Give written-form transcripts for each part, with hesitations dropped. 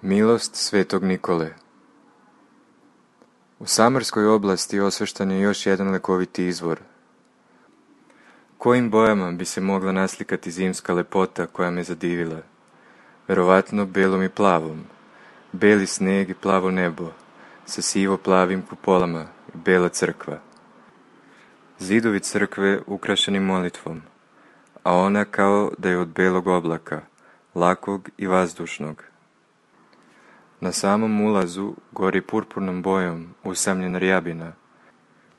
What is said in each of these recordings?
Milost svetog Nikole. U Samarskoj oblasti osveštan je još jedan lekoviti izvor. Kojim bojama bi se mogla naslikati zimska lepota koja me zadivila? Verovatno belom i plavom. Beli sneg i plavo nebo, sa sivo-plavim kupolama i bela crkva. Zidovi crkve ukrašeni molitvom, a ona kao da je od belog oblaka, lakog i vazdušnog. Na samom ulazu gori purpurnom bojom usamljena rjabina,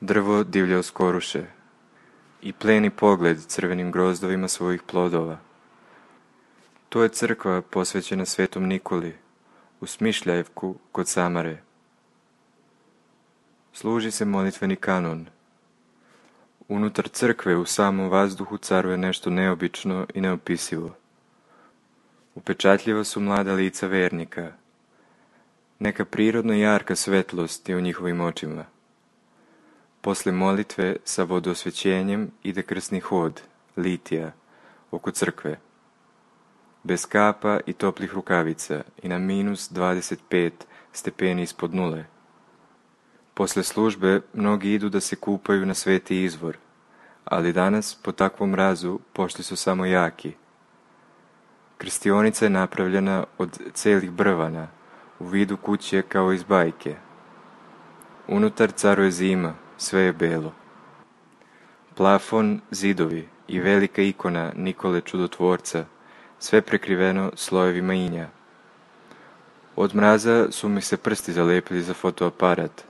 drvo divlje oskoruše i pleni pogled crvenim grozdovima svojih plodova. To je crkva posvećena svetom Nikoli, u Smišljajevku kod Samare. Služi se molitveni kanon. Unutar crkve u samom vazduhu caruje nešto neobično i neopisivo. Upečatljiva su mlada lica vernika. Neka prirodno jarka svetlost je u njihovim očima. Posle molitve sa vodosvećenjem ide krsni hod, litija, oko crkve. Bez kapa i toplih rukavica i na minus 25 stepeni ispod nule. Posle službe mnogi idu da se kupaju na sveti izvor, ali danas po takvom mrazu pošli su samo jaki. Krstionica je napravljena od celih brvana, u vidu kuće kao iz bajke. Unutar caruje zima, sve je belo. Plafon, zidovi i velika ikona Nikole Čudotvorca, sve prekriveno slojevima inja. Od mraza su mi se prsti zalepili za fotoaparat,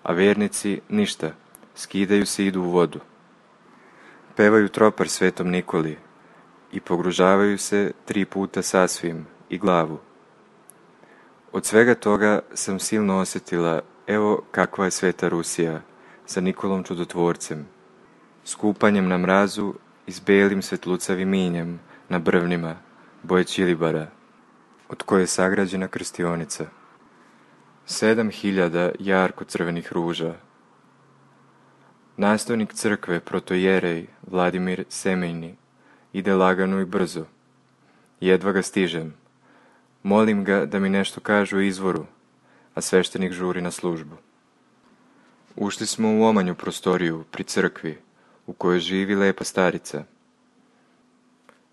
a vernici ništa, skidaju se i idu u vodu. Pevaju tropar svetom Nikoli i pogružavaju se 3 puta sasvim i glavu. Od svega toga sam silno osjetila, evo kakva je sveta Rusija, sa Nikolom Čudotvorcem, s kupanjem na mrazu i s belim svetlucavim injem na brvnima, boje ćilibara, od koje je sagrađena krstionica. 7000 jarko crvenih ruža. Nastojnik crkve, protojerej Vladimir Semejni, ide lagano i brzo. Jedva ga stižem. Molim ga da mi nešto kaže o izvoru, a sveštenik žuri na službu. Ušli smo u omanju prostoriju pri crkvi, u kojoj živi lepa starica.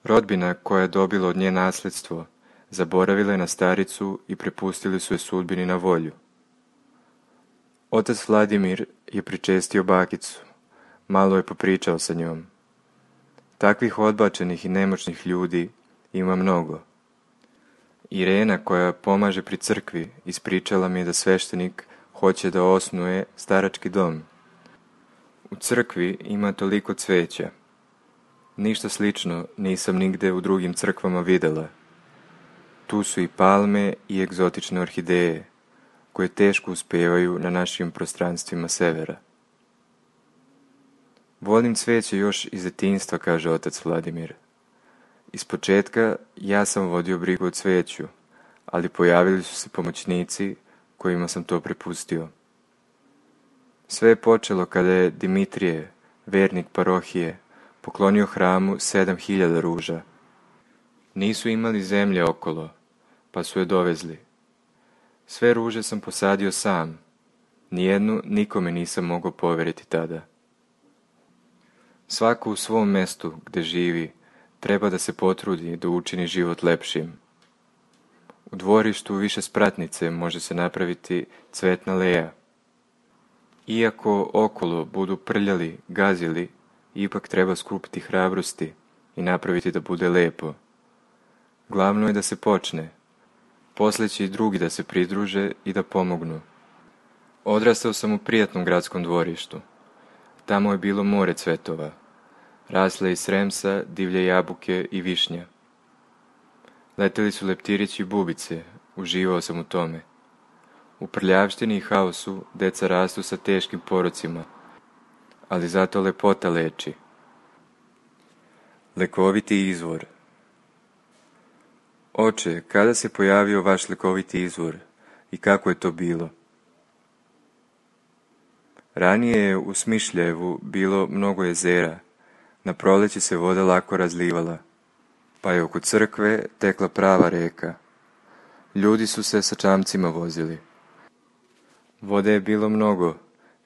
Rodbina koja je dobila od nje nasledstvo, zaboravila je na staricu i prepustili su je sudbini na volju. Otac Vladimir je pričestio bakicu, malo je popričao sa njom. Takvih odbačenih i nemoćnih ljudi ima mnogo. Irena, koja pomaže pri crkvi, ispričala mi je da sveštenik hoće da osnuje starački dom. U crkvi ima toliko cveća. Ništa slično nisam nigde u drugim crkvama videla. Tu su i palme i egzotične orhideje, koje teško uspevaju na našim prostranstvima severa. Volim cveće još iz detinjstva, kaže otac Vladimir. Ispočetka ja sam vodio brigu o cveću, ali pojavili su se pomoćnici kojima sam to prepustio. Sve je počelo kada je Dimitrije, vernik parohije, poklonio hramu 7.000 ruža. Nisu imali zemlje okolo, pa su je dovezli. Sve ruže sam posadio sam, nijednu nikome nisam mogao poveriti tada. Svako u svom mestu gde živi treba da se potrudi da učini život lepšim. U dvorištu više spratnice može se napraviti cvetna leja. Iako okolo budu prljali, gazili, ipak treba skupiti hrabrosti i napraviti da bude lepo. Glavno je da se počne, posle će i drugi da se pridruže i da pomognu. Odrastao sam u prijatnom gradskom dvorištu. Tamo je bilo more cvetova. Rasle iz sremsa, divlje jabuke i višnja. Leteli su leptirići i bubice, uživao sam u tome. U prljavštini i haosu deca rastu sa teškim porocima, ali zato lepota leči. Lekoviti izvor. Oče, kada se pojavio vaš lekoviti izvor i kako je to bilo? Ranije je u Smišljevu bilo mnogo jezera, na proleće se voda lako razlivala, pa je oko crkve tekla prava reka. Ljudi su se sa čamcima vozili. Vode je bilo mnogo,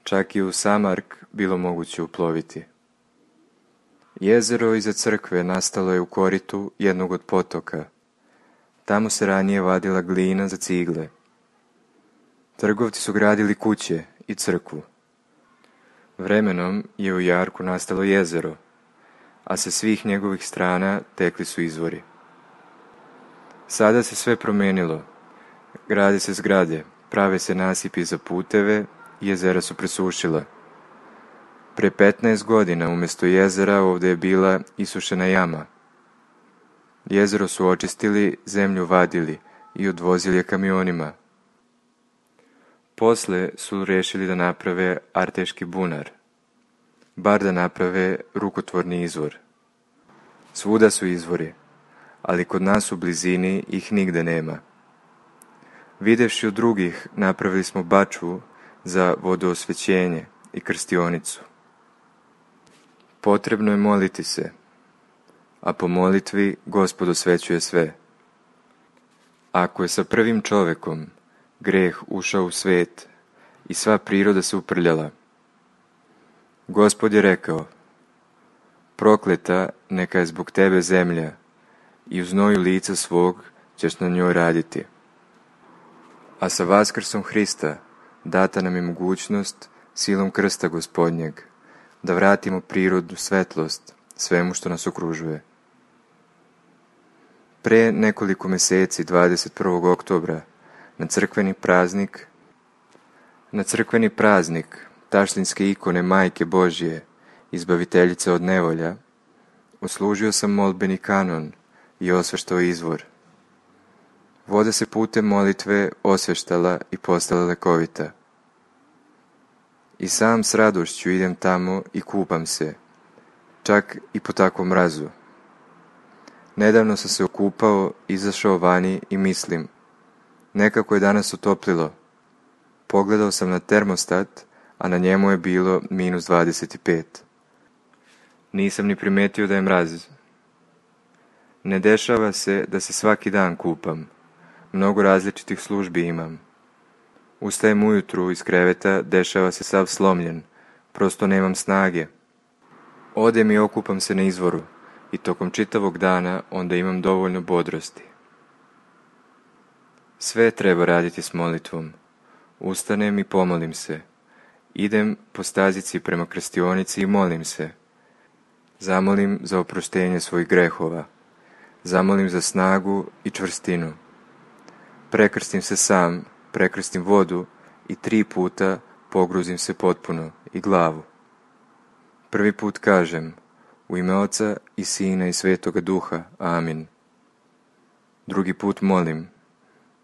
čak i u Samark bilo moguće uploviti. Jezero iza crkve nastalo je u koritu jednog od potoka. Tamo se ranije vadila glina za cigle. Trgovci su gradili kuće i crkvu. Vremenom je u jarku nastalo jezero, a sa svih njegovih strana tekli su izvori. Sada se sve promenilo. Grade se zgrade, prave se nasipi za puteve i jezera su presušila. Pre 15 godina umjesto jezera ovdje je bila isušena jama. Jezero su očistili, zemlju vadili i odvozili je kamionima. Posle su rešili da naprave Arteški bunar, bar da naprave rukotvorni izvor. Svuda su izvori, ali kod nas u blizini ih nigde nema. Videvši od drugih, napravili smo bačvu za vodoosvećenje i krstionicu. Potrebno je moliti se, a po molitvi Gospod osvećuje sve. Ako je sa prvim čovekom greh ušao u svet i sva priroda se uprljala, Gospod je rekao: prokleta neka je zbog tebe zemlja i u znoju lica svog ćeš na njoj raditi. A sa vaskrsom Hrista data nam je mogućnost silom krsta Gospodnjeg da vratimo prirodnu svetlost svemu što nas okružuje. Pre nekoliko meseci, 21. oktobra, na crkveni praznik taštinske ikone Majke Božje, izbaviteljice od nevolja, odslužio sam molbeni kanon i osveštao izvor. Voda se putem molitve osveštala i postala lekovita. I sam s radošću idem tamo i kupam se, čak i po takvom mrazu. Nedavno sam se okupao, izašao vani i mislim, nekako je danas otoplilo. Pogledao sam na termostat, a na njemu je bilo -25. Nisam ni primetio da je mraz. Ne dešava se da se svaki dan kupam. Mnogo različitih službi imam. Ustajem ujutru iz kreveta, dešava se sav slomljen. Prosto nemam snage. Odem i okupam se na izvoru i tokom čitavog dana onda imam dovoljno bodrosti. Sve treba raditi s molitvom. Ustanem i pomolim se. Idem po stazici prema krstionici i molim se. Zamolim za oproštenje svojih grehova. Zamolim za snagu i čvrstinu. Prekrstim se sam, prekrstim vodu i 3 puta pogruzim se potpuno i glavu. Prvi put kažem, u ime Oca i Sina i Svetoga Duha, amin. Drugi put molim,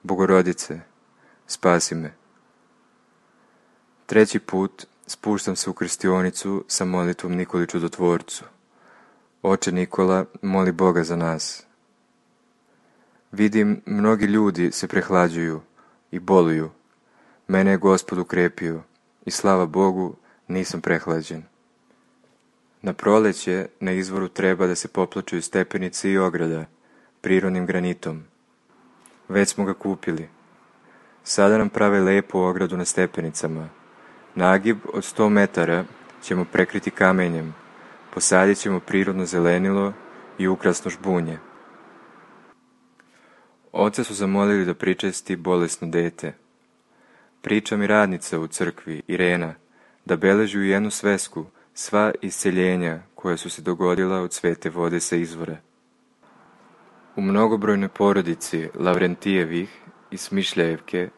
Bogorodice, spasi me. Treći put spuštam se u krstionicu sa molitvom Nikoli Čudotvorcu. Oče Nikola, moli Boga za nas. Vidim, mnogi ljudi se prehlađuju i boluju. Mene je Gospod ukrepio i slava Bogu, nisam prehlađen. Na proleće na izvoru treba da se popločuju stepenice i ograda prirodnim granitom. Već smo ga kupili. Sada nam prave lepu ogradu na stepenicama. Nagib od 100 metara ćemo prekriti kamenjem, posadit ćemo prirodno zelenilo i ukrasno žbunje. Oca su zamolili da pričesti bolesno dete. Priča mi radnica u crkvi, Irena, da beleži u jednu svesku sva isceljenja koja su se dogodila od svete vode sa izvora. U mnogobrojnoj porodici Lavrentijevih i Smišljajevke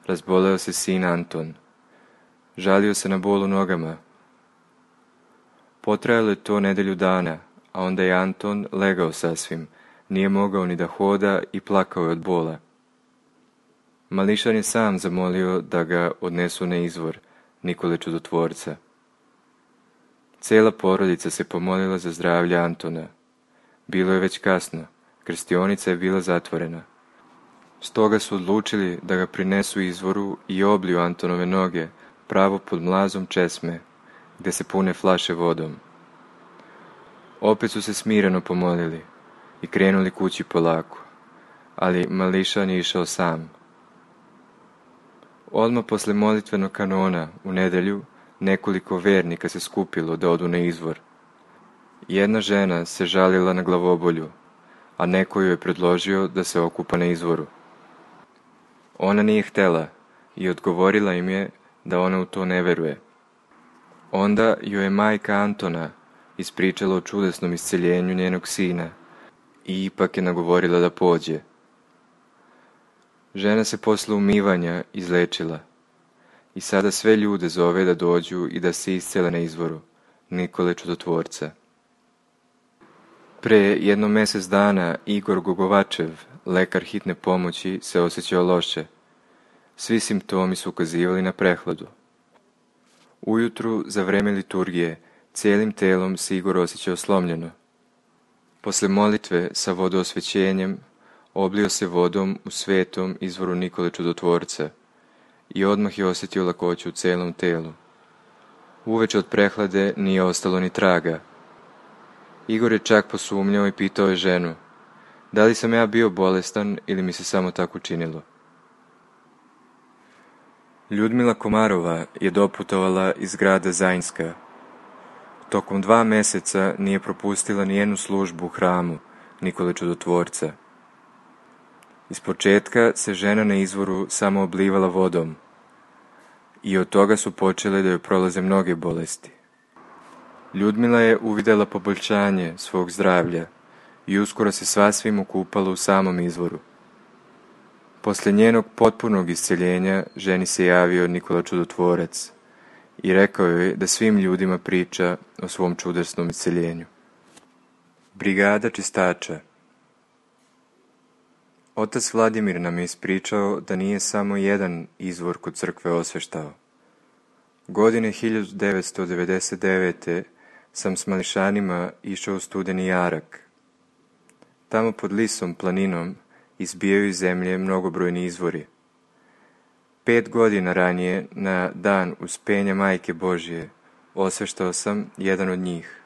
razboleo se sin Anton. Žalio se na bol u nogama. Potrajalo je to nedelju dana, a onda je Anton legao sasvim, nije mogao ni da hoda i plakao je od bola. Mališan je sam zamolio da ga odnesu na izvor Nikole Čudotvorca. Cela porodica se pomolila za zdravlje Antona. Bilo je već kasno, krstionica je bila zatvorena. Stoga su odlučili da ga prinesu izvoru i obliju Antonove noge pravo pod mlazom česme, gde se pune flaše vodom. Opet su se smireno pomolili i krenuli kući polako, ali Mališan je išao sam. Odmah posle molitvenog kanona u nedelju nekoliko vernika se skupilo da odu na izvor. Jedna žena se žalila na glavobolju, a neko joj je predložio da se okupa na izvoru. Ona nije htela i odgovorila im je da ona u to ne veruje. Onda joj je majka Antona ispričala o čudesnom isceljenju njenog sina i ipak je nagovorila da pođe. Žena se posle umivanja izlečila i sada sve ljude zove da dođu i da se iscele na izvoru Nikole Čudotvorca. Pre jedno mesec dana Igor Gogovačev, lekar hitne pomoći, se osjećao loše. Svi simptomi su ukazivali na prehladu. Ujutru, za vreme liturgije, cijelim telom se Igor osjećao slomljeno. Posle molitve sa vodoosvećenjem oblio se vodom u svetom izvoru Nikole Čudotvorca i odmah je osjetio lakoću u celom telu. Uveče od prehlade nije ostalo ni traga. Igor je čak posumnjao i pitao je ženu, da li sam ja bio bolestan ili mi se samo tako činilo. Ljudmila Komarova je doputovala iz grada Zajnska. Tokom 2 meseca nije propustila ni jednu službu u hramu Nikole Čudotvorca. Iz početka se žena na izvoru samo oblivala vodom i od toga su počele da joj prolaze mnoge bolesti. Ljudmila je uvidela poboljšanje svog zdravlja i uskoro se sasvim okupala u samom izvoru. Posle njenog potpunog isceljenja ženi se javio Nikola Čudotvorac i rekao joj da svim ljudima priča o svom čudesnom isceljenju. Brigada čistača. Otac Vladimir nam je ispričao da nije samo jedan izvor kod crkve osveštao. Godine 1999. sam s mališanima išao u Studeni Jarak. Tamo pod lisom planinom izbijaju iz zemlje mnogobrojni izvori. 5 godina ranije, na dan Uspenja Majke Božje, osveštao sam jedan od njih.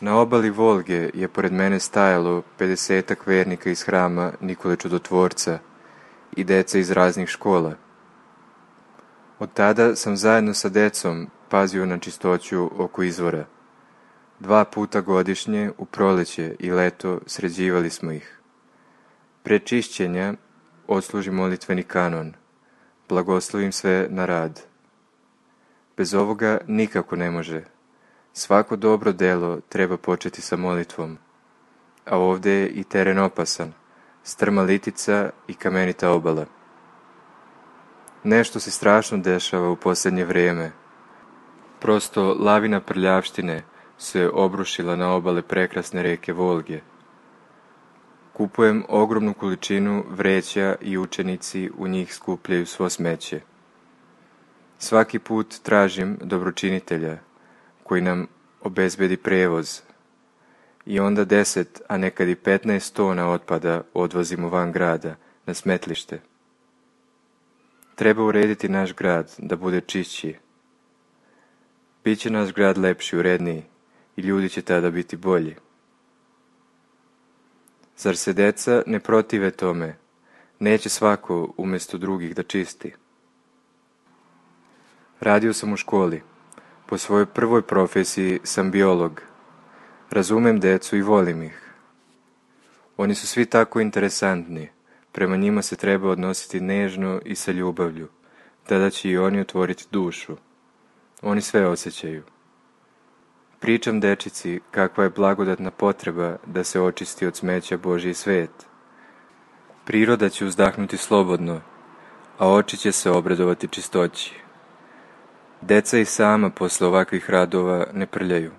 Na obali Volge je pored mene stajalo 50-ak vernika iz hrama Nikole Čudotvorca i deca iz raznih škola. Od tada sam zajedno sa decom pazio na čistoću oko izvora. 2 puta godišnje, u proleće i leto, sređivali smo ih. Pre čišćenja odsluži molitveni kanon. Blagoslovim sve na rad. Bez ovoga nikako ne može. Svako dobro delo treba početi sa molitvom. A ovdje je i teren opasan, strma litica i kamenita obala. Nešto se strašno dešava u posljednje vrijeme. Prosto lavina prljavštine se obrušila na obale prekrasne reke Volge. Kupujem ogromnu količinu vreća i učenici u njih skupljaju svo smeće. Svaki put tražim dobročinitelja koji nam obezbedi prevoz i onda 10, a nekad i 15 tona otpada odvozimo van grada na smetlište. Treba urediti naš grad da bude čišći. Biće naš grad lepši, uredniji i ljudi će tada biti bolji. Zar se deca ne protive tome? Neće svako umjesto drugih da čisti. Radio sam u školi. Po svojoj prvoj profesiji sam biolog. Razumem decu i volim ih. Oni su svi tako interesantni. Prema njima se treba odnositi nežno i sa ljubavlju. Tada će i oni otvoriti dušu. Oni sve osjećaju. Pričam dečici kakva je blagodatna potreba da se očisti od smeća Božji svet. Priroda će uzdahnuti slobodno, a oči će se obradovati čistoći. Deca i sama posle ovakvih radova ne prljaju.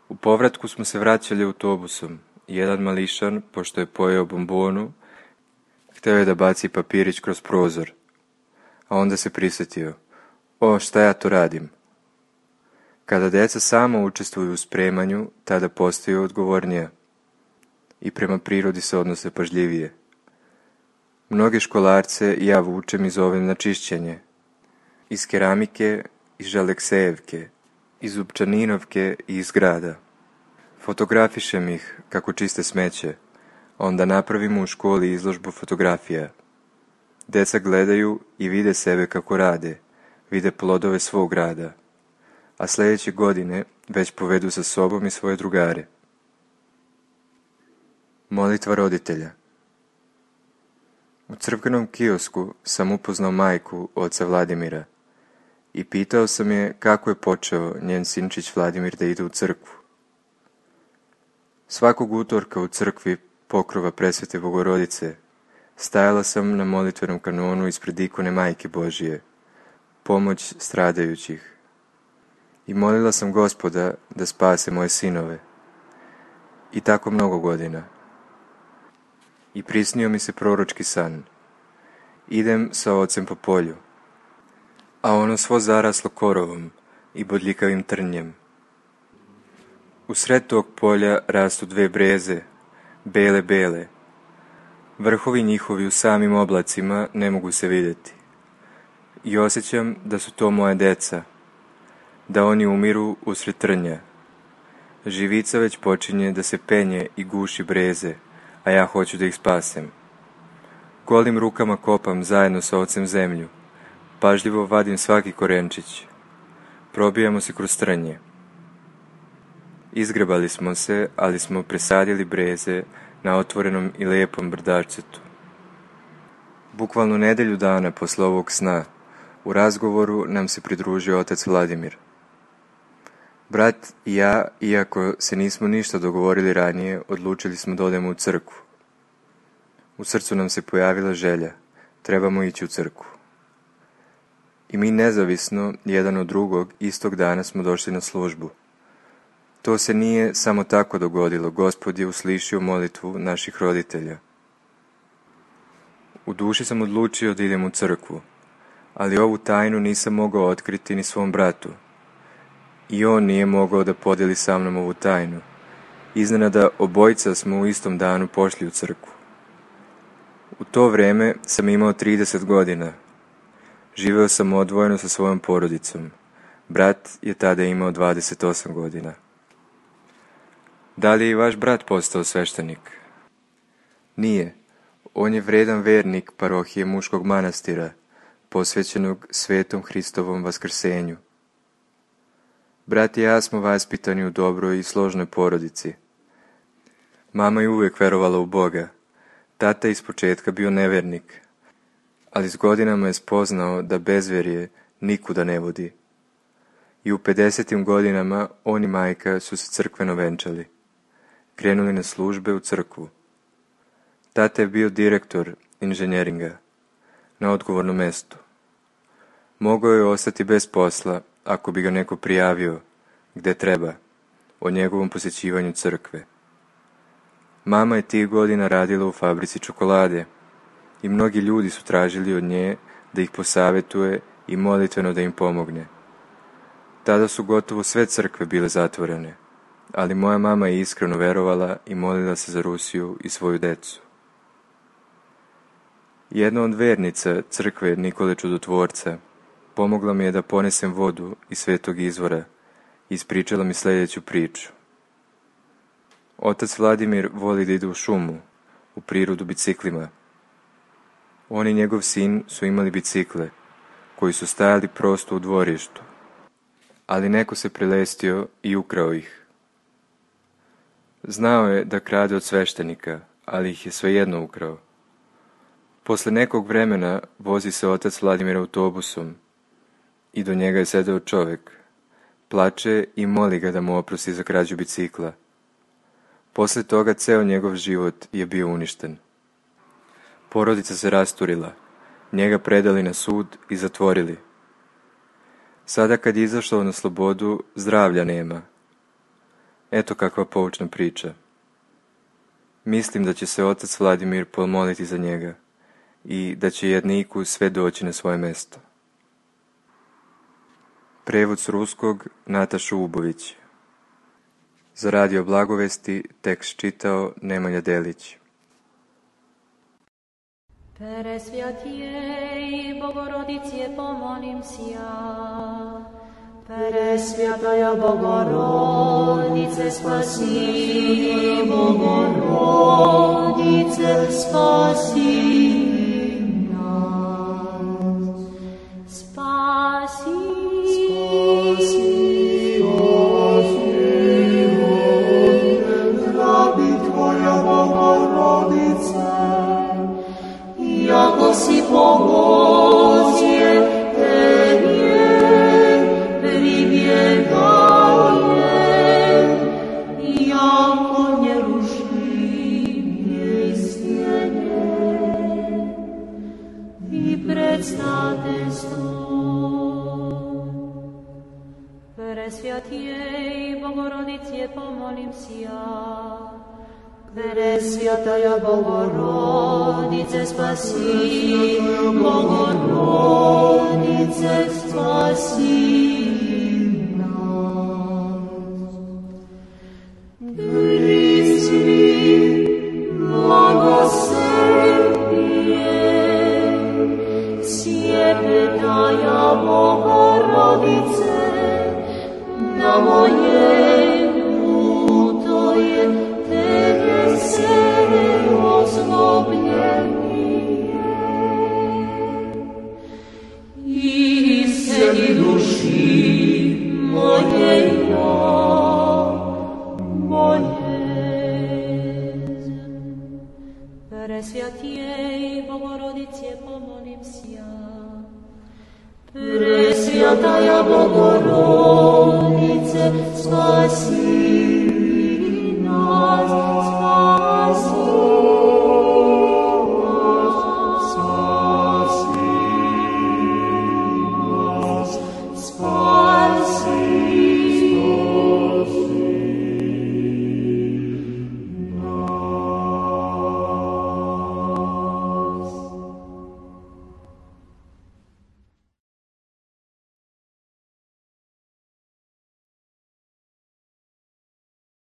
U povratku smo se vraćali autobusom. Jedan mališan, pošto je pojeo bombonu, hteo je da baci papirić kroz prozor, a onda se prisjetio. O, šta ja to radim? Kada deca samo učestvuju u spremanju, tada postaju odgovornija i prema prirodi se odnose pažljivije. Mnoge školarce ja vučem i zovem na čišćenje. Iz keramike, iz Žaleksejevke, iz Upčaninovke i iz grada. Fotografišem ih kako čiste smeće, onda napravimo u školi izložbu fotografija. Deca gledaju i vide sebe kako rade, vide plodove svog rada, a sljedeće godine već povedu sa sobom i svoje drugare. Molitva roditelja. U crkvenom kiosku sam upoznao majku oca Vladimira i pitao sam je kako je počeo njen sinčić Vladimir da ide u crkvu. Svakog utorka u crkvi pokrova Presvete Bogorodice stajala sam na molitvenom kanonu ispred ikone Majke Božije, pomoć stradajućih, i molila sam Gospoda da spase moje sinove. I tako mnogo godina. I prisnio mi se proročki san. Idem sa ocem po polju, a ono svo zaraslo korovom i bodljikavim trnjem. U sred tog polja rastu dve breze, bele. Vrhovi njihovi u samim oblacima ne mogu se vidjeti. I osjećam da su to moje deca, da oni umiru usred trnja. Živica već počinje da se penje i guši breze, a ja hoću da ih spasem. Golim rukama kopam zajedno sa ocem zemlju, pažljivo vadim svaki korenčić. Probijamo se kroz trnje. Izgrebali smo se, ali smo presadili breze na otvorenom i lijepom brdačcetu. Bukvalno nedelju dana posle ovog sna, u razgovoru nam se pridružio otac Vladimir. Brat i ja, iako se nismo ništa dogovorili ranije, odlučili smo da odemo u crkvu. U srcu nam se pojavila želja, trebamo ići u crkvu. I mi nezavisno, jedan od drugog, istog dana smo došli na službu. To se nije samo tako dogodilo, Gospod je uslišio molitvu naših roditelja. U duši sam odlučio da idem u crkvu, ali ovu tajnu nisam mogao otkriti ni svom bratu. I on nije mogao da podijeli sa mnom ovu tajnu. Iznenada obojica smo u istom danu pošli u crkvu. U to vreme sam imao 30 godina. Živeo sam odvojeno sa svojom porodicom. Brat je tada imao 28 godina. Da li je i vaš brat postao sveštenik? Nije. On je vredan vernik parohije muškog manastira, posvećenog Svetom Hristovom vaskrsenju. Brat i ja smo vaspitani u dobroj i složnoj porodici. Mama je uvijek verovala u Boga. Tata je ispočetka bio nevernik, ali s godinama je spoznao da bezverje nikuda ne vodi. I u 50. godinama on i majka su se crkveno venčali. Krenuli na službe u crkvu. Tata je bio direktor inženjeringa, na odgovornom mestu. Mogao je ostati bez posla ako bi ga neko prijavio, gde treba, o njegovom posjećivanju crkve. Mama je tih godina radila u fabrici čokolade i mnogi ljudi su tražili od nje da ih posavetuje i molitveno da im pomogne. Tada su gotovo sve crkve bile zatvorene, ali moja mama je iskreno verovala i molila se za Rusiju i svoju decu. Jedna od vernica crkve Nikole Čudotvorca pomogla mi je da ponesem vodu iz svetog izvora i ispričala mi sljedeću priču. Otac Vladimir voli da ide u šumu, u prirodu biciklima. On i njegov sin su imali bicikle, koji su stajali prosto u dvorištu, ali neko se prilestio i ukrao ih. Znao je da krade od sveštenika, ali ih je svejedno ukrao. Posle nekog vremena vozi se otac Vladimir autobusom i do njega je sedeo čovek. Plače i moli ga da mu oprosti za krađu bicikla. Posle toga ceo njegov život je bio uništen. Porodica se rasturila, njega predali na sud i zatvorili. Sada kad je izašao na slobodu, zdravlja nema. Eto kakva poučna priča. Mislim da će se otac Vladimir pomoliti za njega i da će jedniku sve doći na svoje mesto. Prevod s ruskog Nataša Ubović. Za Radio Blagovesti tekst čitao Nemanja Delić. Presvjatijej Bogorodice pomolim si ja. Presvjataja Bogorodice spasi, Bogorodice spasi nas. Spasi, rabi Tvoja Bogorodice, jako si pomoće Tebje pribjegaje, jako nerušimlje stjenje i predstavljstvo. Presvjatijej Bogorodice pomolim si ja. Presvjataja Bogorodice spasi, Bogorodice spasi nas. Prisvi blagosebije, sjepetaja Bogorodice, na mojemu to je Tebe se ozlobljenije i sedi duši moje boljezen. Presvjatijej Bogorodice pomolim si ja. Presvjataja Bogorodice spasi